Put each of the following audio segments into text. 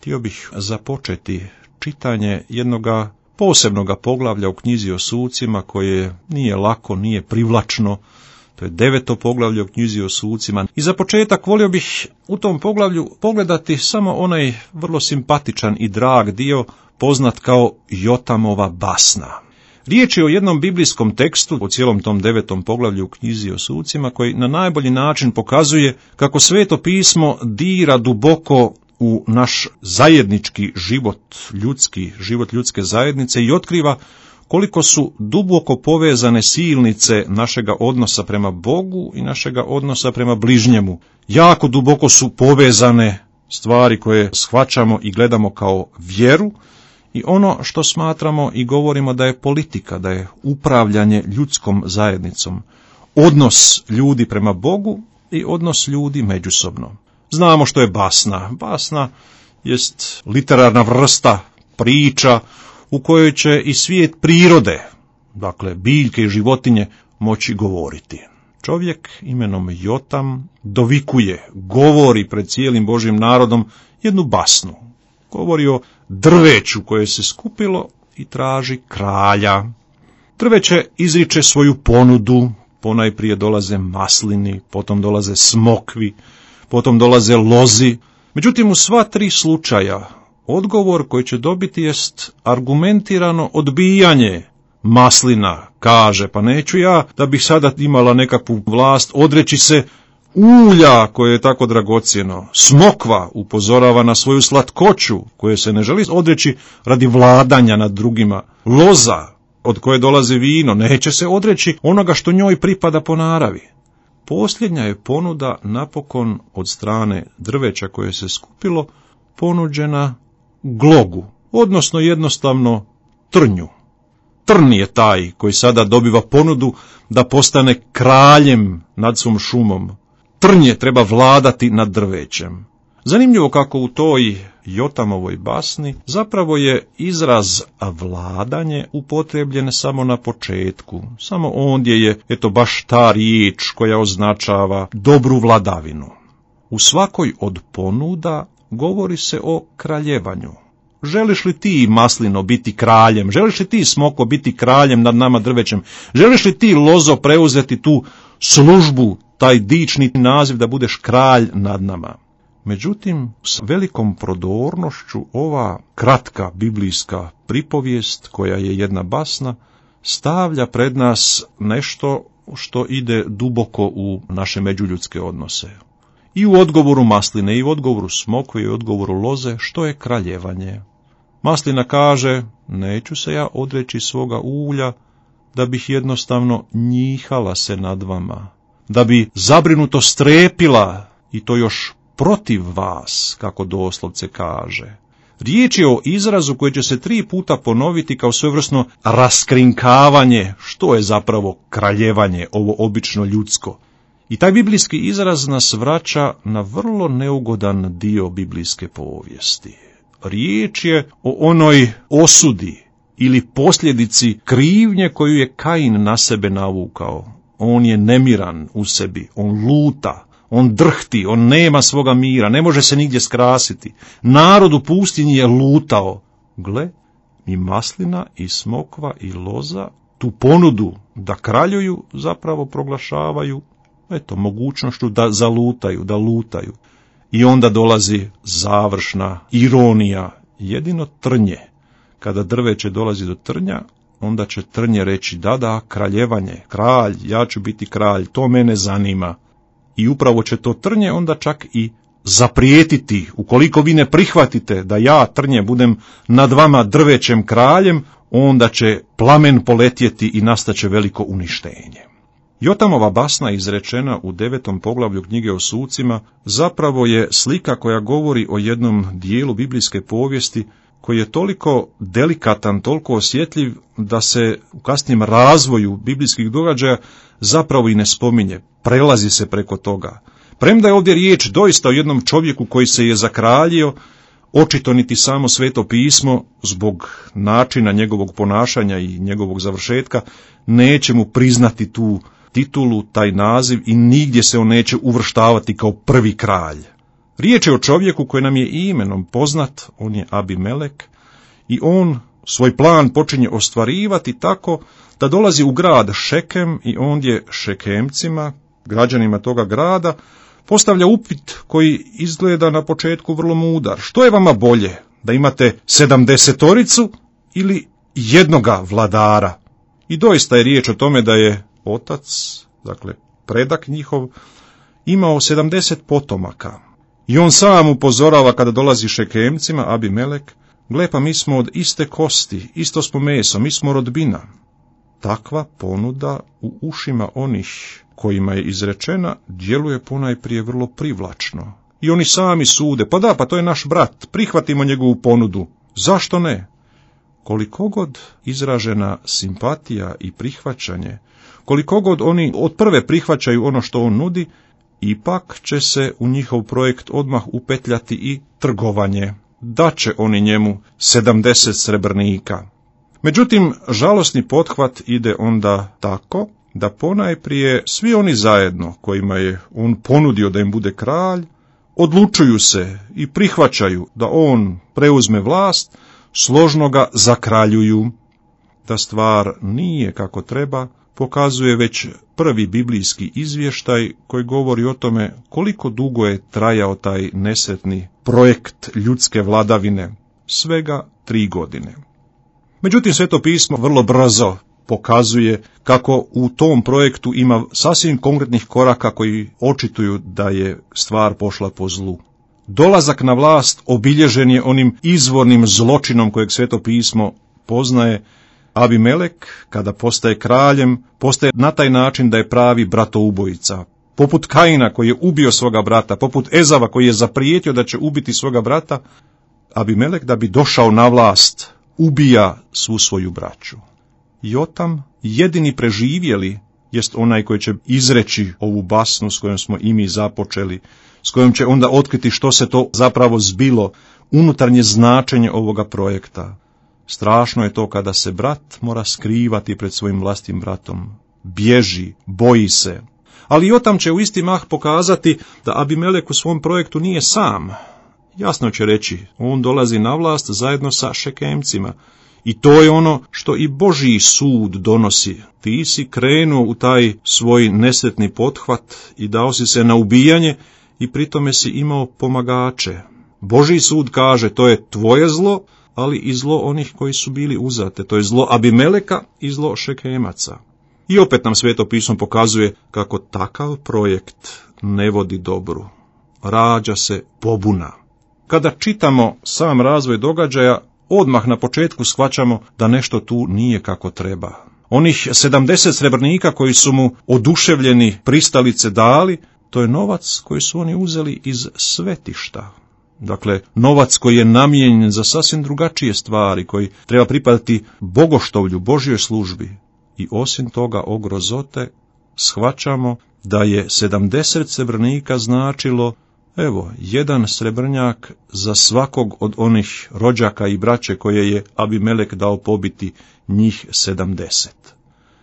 htio bih započeti čitanje jednoga posebnoga poglavlja u knjizi o sucima koje nije lako, nije privlačno. To je 9. poglavlje u knjizi o sucima. I za početak volio bih u tom poglavlju pogledati samo onaj vrlo simpatičan i drag dio poznat kao Jotamova basna. Riječ je o jednom biblijskom tekstu u cijelom tom 9. poglavlju u knjizi o sucima koji na najbolji način pokazuje kako Sveto pismo dira duboko u naš zajednički život, život ljudske zajednice i otkriva koliko su duboko povezane silnice našega odnosa prema Bogu i našega odnosa prema bližnjemu. Jako duboko su povezane stvari koje shvaćamo i gledamo kao vjeru i ono što smatramo i govorimo da je politika, da je upravljanje ljudskom zajednicom. Odnos ljudi prema Bogu i odnos ljudi međusobno. Znamo što je basna. Basna jest literarna vrsta, priča u kojoj će i svijet prirode, dakle biljke i životinje, moći govoriti. Čovjek imenom Jotam dovikuje, govori pred cijelim Božjim narodom jednu basnu. Govori o drveću koje se skupilo i traži kralja. Drveće izriče svoju ponudu, ponajprije dolaze maslini, potom dolaze smokvi, potom dolaze lozi. Međutim, u sva tri slučaja odgovor koji će dobiti jest argumentirano odbijanje. Maslina kaže, pa neću ja da bih sada imala nekakvu vlast odreći se ulja koje je tako dragocjeno. Smokva upozorava na svoju slatkoću koje se ne želi odreći radi vladanja nad drugima. Loza od koje dolazi vino neće se odreći onoga što njoj pripada po naravi. Posljednja je ponuda napokon od strane drveća koje se skupilo ponuđena glogu, odnosno jednostavno trnju. Trn je taj koji sada dobiva ponudu da postane kraljem nad svom šumom. Trnje treba vladati nad drvećem. Zanimljivo kako u toj Jotamovoj basni zapravo je izraz vladanje upotrijebljen samo na početku. Samo ondje je baš ta riječ koja označava dobru vladavinu. U svakoj od ponuda govori se o kraljevanju. Želiš li ti, maslino, biti kraljem? Želiš li ti, smoko, biti kraljem nad nama drvećem? Želiš li ti, lozo, preuzeti tu službu, taj dični naziv da budeš kralj nad nama? Međutim, s velikom prodornošću ova kratka biblijska pripovijest, koja je jedna basna, stavlja pred nas nešto što ide duboko u naše međuljudske odnose. I u odgovoru masline, i u odgovoru smokve, i u odgovoru loze, što je kraljevanje. Maslina kaže, neću se ja odreći svoga ulja, da bih jednostavno njihala se nad vama, da bi zabrinuto strepila, i to još protiv vas, kako doslovce kaže. Riječ je o izrazu koji će se 3 puta ponoviti kao svojevrsno raskrinkavanje, što je zapravo kraljevanje, ovo obično ljudsko. I taj biblijski izraz nas vraća na vrlo neugodan dio biblijske povijesti. Riječ je o onoj osudi ili posljedici krivnje koju je Kain na sebe navukao. On je nemiran u sebi, on luta, on drhti, on nema svoga mira, ne može se nigdje skrasiti. Narod u pustinji je lutao. Gle, i maslina, i smokva, i loza tu ponudu da kraljuju zapravo proglašavaju mogućnošću da zalutaju, da lutaju. I onda dolazi završna ironija, jedino trnje. Kada drveće dolazi do trnja, onda će trnje reći, da, kraljevanje, kralj, ja ću biti kralj, to mene zanima. I upravo će to trnje onda čak i zaprijetiti, ukoliko vi ne prihvatite da ja, trnje, budem nad vama drvećem kraljem, onda će plamen poletjeti i nastaće veliko uništenje. Jotamova basna izrečena u 9. poglavlju knjige o sucima zapravo je slika koja govori o jednom dijelu biblijske povijesti koji je toliko delikatan, toliko osjetljiv da se u kasnijem razvoju biblijskih događaja zapravo i ne spominje, prelazi se preko toga. Premda je ovdje riječ doista o jednom čovjeku koji se je zakraljio, očito niti samo Sveto pismo, zbog načina njegovog ponašanja i njegovog završetka, neće mu priznati tu titulu, taj naziv i nigdje se on neće uvrštavati kao prvi kralj. Riječ je o čovjeku koji nam je imenom poznat, on je Abimelek, i on svoj plan počinje ostvarivati tako da dolazi u grad Šekem i ondje Šekemcima, građanima toga grada, postavlja upit koji izgleda na početku vrlo mudar. Što je vama bolje, da imate 70 ili jednoga vladara? I doista je riječ o tome da je otac, dakle predak njihov, imao 70 potomaka. I on sam upozorava kada dolazi Šekemcima, Abimelek, gle pa mi smo od iste kosti, isto smo meso, mi smo rodbina. Takva ponuda u ušima onih kojima je izrečena djeluje ponajprije vrlo privlačno. I oni sami sude, pa to je naš brat, prihvatimo njegovu ponudu. Zašto ne? Koliko god izražena simpatija i prihvaćanje, koliko god oni od prve prihvaćaju ono što on nudi, ipak će se u njihov projekt odmah upetljati i trgovanje. Daće oni njemu 70 srebrnika. Međutim, žalosni pothvat ide onda tako da ponajprije svi oni zajedno kojima je on ponudio da im bude kralj, odlučuju se i prihvaćaju da on preuzme vlast, složno ga zakraljuju. Da stvar nije kako treba, pokazuje već prvi biblijski izvještaj koji govori o tome koliko dugo je trajao taj nesretni projekt ljudske vladavine, svega 3 godine. Međutim, Sveto pismo vrlo brzo pokazuje kako u tom projektu ima sasvim konkretnih koraka koji očituju da je stvar pošla po zlu. Dolazak na vlast obilježen je onim izvornim zločinom kojeg Sveto pismo poznaje. Abimelek, kada postaje kraljem, postaje na taj način da je pravi bratoubojica. Poput Kaina koji je ubio svoga brata, poput Ezava koji je zaprijetio da će ubiti svoga brata, Abimelek da bi došao na vlast ubija svu svoju braću. Jotam, jedini preživjeli, jest onaj koji će izreći ovu basnu s kojom smo i mi započeli, s kojom će onda otkriti što se to zapravo zbilo, unutarnje značenje ovoga projekta. Strašno je to kada se brat mora skrivati pred svojim vlastnim bratom. Bježi, boji se. Ali Jotam će u isti mah pokazati da Abimelek u svom projektu nije sam. Jasno će reći, on dolazi na vlast zajedno sa Šekemcima. I to je ono što i Božji sud donosi. Ti si krenuo u taj svoj nesretni pothvat i dao si se na ubijanje i pritome si imao pomagače. Božji sud kaže, to je tvoje zlo, ali i zlo onih koji su bili uzate. To je zlo Abimeleka i zlo Šekemaca. I opet nam Sveto pismo pokazuje kako takav projekt ne vodi dobru. Rađa se pobuna. Kada čitamo sam razvoj događaja, odmah na početku shvaćamo da nešto tu nije kako treba. Onih 70 srebrnika koji su mu oduševljeni pristalice dali, to je novac koji su oni uzeli iz svetišta. Dakle, novac koji je namijenjen za sasvim drugačije stvari, koji treba pripadati bogoštovlju, Božjoj službi. I osim toga, o grozote, shvaćamo da je 70 srebrnika značilo, evo, 1 srebrnjak za svakog od onih rođaka i braće koje je Abimelek dao pobiti, njih 70.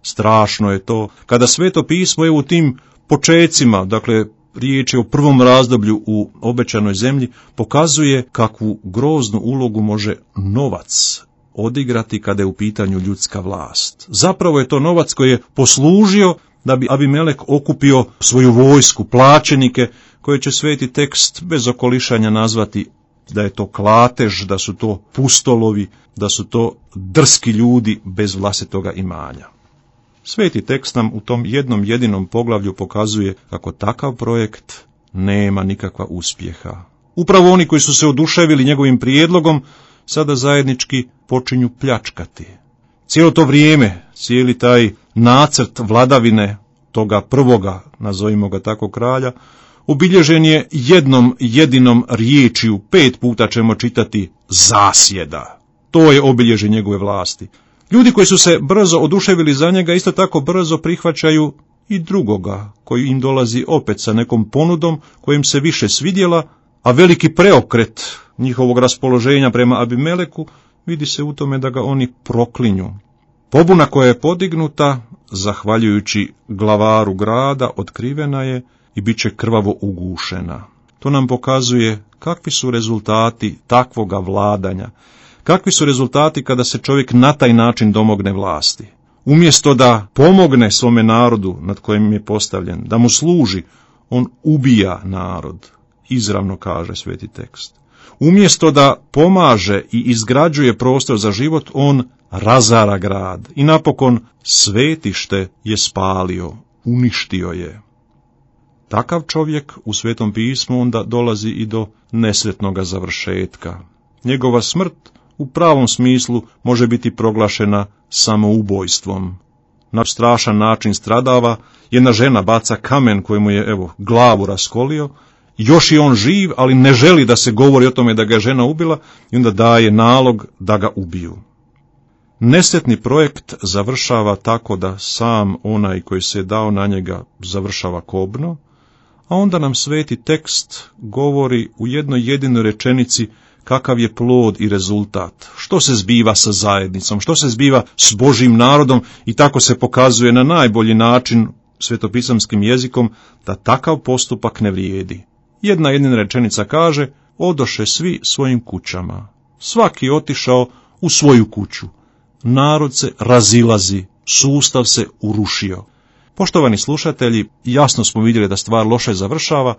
Strašno je to, kada Sveto pismo je u tim počecima, dakle, riječ je o prvom razdoblju u obećanoj zemlji, pokazuje kakvu groznu ulogu može novac odigrati kada je u pitanju ljudska vlast. Zapravo je to novac koji je poslužio da bi Abimelek okupio svoju vojsku, plaćenike, koje će Sveti tekst bez okolišanja nazvati da je to klatež, da su to pustolovi, da su to drski ljudi bez vlastitoga imanja. Sveti tekst nam u tom jednom jedinom poglavlju pokazuje kako takav projekt nema nikakva uspjeha. Upravo oni koji su se oduševili njegovim prijedlogom sada zajednički počinju pljačkati. Cijelo to vrijeme, cijeli taj nacrt vladavine toga prvoga, nazovimo ga tako, kralja, obilježen je jednom jedinom riječju, 5 puta ćemo čitati zasjeda. To je obilježje njegove vlasti. Ljudi koji su se brzo oduševili za njega isto tako brzo prihvaćaju i drugoga, koji im dolazi opet sa nekom ponudom kojim se više svidjela, a veliki preokret njihovog raspoloženja prema Abimeleku vidi se u tome da ga oni proklinju. Pobuna koja je podignuta, zahvaljujući glavaru grada, otkrivena je i bit će krvavo ugušena. to nam pokazuje kakvi su rezultati takvoga vladanja, kakvi su rezultati kada se čovjek na taj način domogne vlasti. Umjesto da pomogne svome narodu nad kojim je postavljen, da mu služi, on ubija narod, izravno kaže sveti tekst. Umjesto da pomaže i izgrađuje prostor za život, on razara grad i napokon svetište je spalio, uništio je. Takav čovjek u Svetom pismu onda dolazi i do nesretnoga završetka. Njegova smrt u pravom smislu može biti proglašena samoubojstvom. Na strašan način stradava, jedna žena baca kamen kojemu je glavu raskolio, još je on živ, ali ne želi da se govori o tome da ga je žena ubila i onda daje nalog da ga ubiju. Nesretni projekt završava tako da sam onaj koji se je dao na njega završava kobno, a onda nam sveti tekst govori u jednoj jedinoj rečenici kakav je plod i rezultat, što se zbiva sa zajednicom, što se zbiva s Božjim narodom i tako se pokazuje na najbolji način svetopisamskim jezikom da takav postupak ne vrijedi. Jedna jedina rečenica kaže, odoše svi svojim kućama, svaki otišao u svoju kuću, narod se razilazi, sustav se urušio. Poštovani slušatelji, jasno smo vidjeli da stvar loše završava,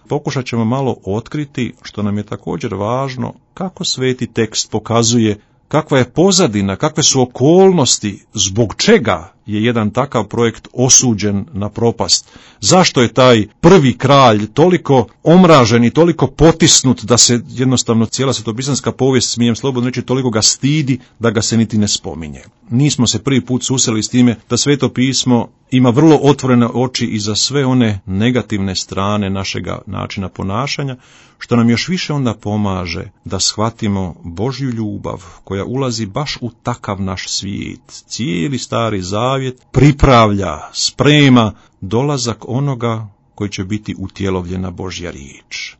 pokušat ćemo malo otkriti, što nam je također važno, kako sveti tekst pokazuje kakva je pozadina, kakve su okolnosti, zbog čega je jedan takav projekt osuđen na propast. Zašto je taj prvi kralj toliko omražen i toliko potisnut da se jednostavno cijela svetopisanska povijest, smijem slobodno reći, toliko ga stidi da ga se niti ne spominje. Nismo se prvi put susreli s time da Sveto pismo ima vrlo otvorene oči i za sve one negativne strane našega načina ponašanja, što nam još više onda pomaže da shvatimo Božju ljubav koja ulazi baš u takav naš svijet. Cijeli Stari Zavjet pripravlja, sprema dolazak onoga koji će biti utjelovljena Božja riječ.